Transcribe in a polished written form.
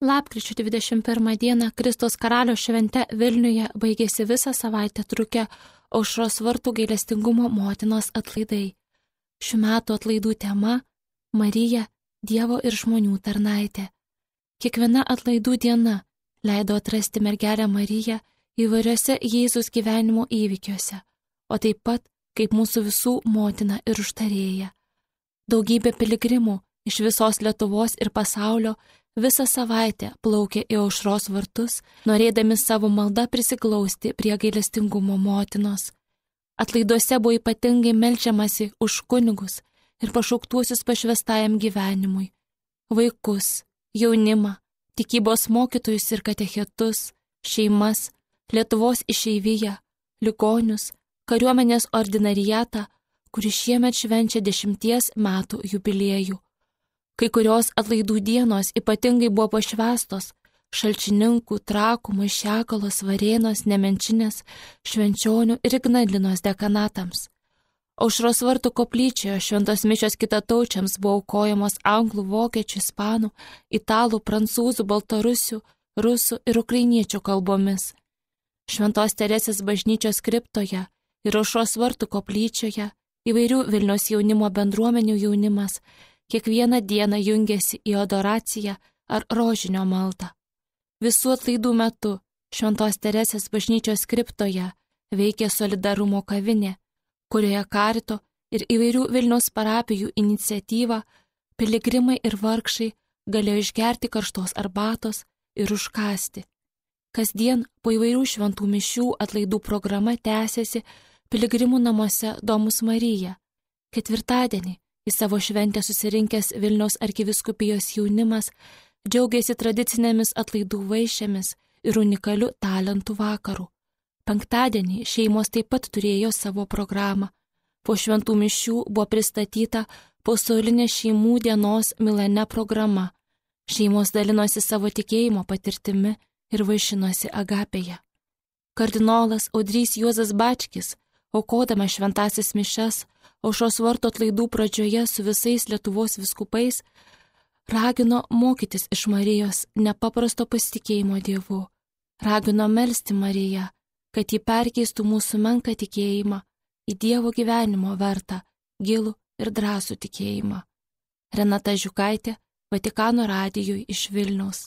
Lapkričio 21 dieną Kristaus karalio švente Vilniuje baigėsi visą savaitę trukę Aušros vartų gailestingumo motinos atlaidai. Šių metų atlaidų tema – Marija, Dievo ir žmonių tarnaitė. Kiekviena atlaidų diena leido atrasti mergelę Mariją įvairiose Jėzaus gyvenimo įvykiuose, o taip pat kaip mūsų visų motina ir užtarėja. Daugybė piligrimų iš visos Lietuvos ir pasaulio visą savaitę plaukė į Aušros vartus, norėdami savo maldą prisiglausti prie gailestingumo motinos. Atlaiduose buvo ypatingai meldžiamasi už kunigus ir pašauktuosius pašvęstajam gyvenimui, vaikus, jaunimą, tikybos mokytojus ir katechetus, šeimas, Lietuvos išeiviją, ligonius, kariuomenės ordinariatą, kuris šiemet švenčia 10 metų jubiliejų. Kai kurios atlaidų dienos ypatingai buvo pašvęstos Šalčininkų, Trakų, Maišiagalos, Varėnos, Nemenčinės, Švenčionių ir Ignalinos dekanatams. Aušros vartų koplyčioje šventos mišios kitataučiams buvo aukojamos anglų, vokiečių, ispanų, italų, prancūzų, baltarusių, rusų ir ukrainiečių kalbomis. Šventos Teresės bažnyčios kriptoje ir Aušros vartų koplyčioje įvairių Vilniaus jaunimo bendruomenių jaunimas kiekvieną dieną jungėsi į adoraciją ar rožinio maldą. Visų atlaidų metu Šventos Teresės bažnyčios kriptoje veikė solidarumo kavinė, kurioje karito ir įvairių Vilniaus parapijų iniciatyva piligrimai ir vargšai galėjo išgerti karštos arbatos ir užkąsti. Kasdien po įvairių šventų mišių atlaidų programa tęsėsi piligrimų namuose Domus Marija. Ketvirtadienį į savo šventę susirinkęs Vilniaus arkivyskupijos jaunimas džiaugiasi tradicinėmis atlaidų vaišėmis ir unikaliu talentų vakaru. Penktadienį šeimos taip pat turėjo savo programą. Po šventų mišių buvo pristatyta pasaulinė šeimų dienos Milane programa. Šeimos dalinosi savo tikėjimo patirtimi ir vaišinosi agapėje. Kardinolas Audrys Juozas Bačkis, aukodamas šventąsias mišias, Aušros vartų atlaidų pradžioje su visais Lietuvos vyskupais, ragino mokytis iš Marijos nepaprasto pasitikėjimo Dievu. Ragino melsti Mariją, kad ji perkeistų mūsų menką tikėjimą į Dievo gyvenimo vertą, gilų ir drąsų tikėjimą. Renata Žiukaitė, Vatikano radijui iš Vilniaus.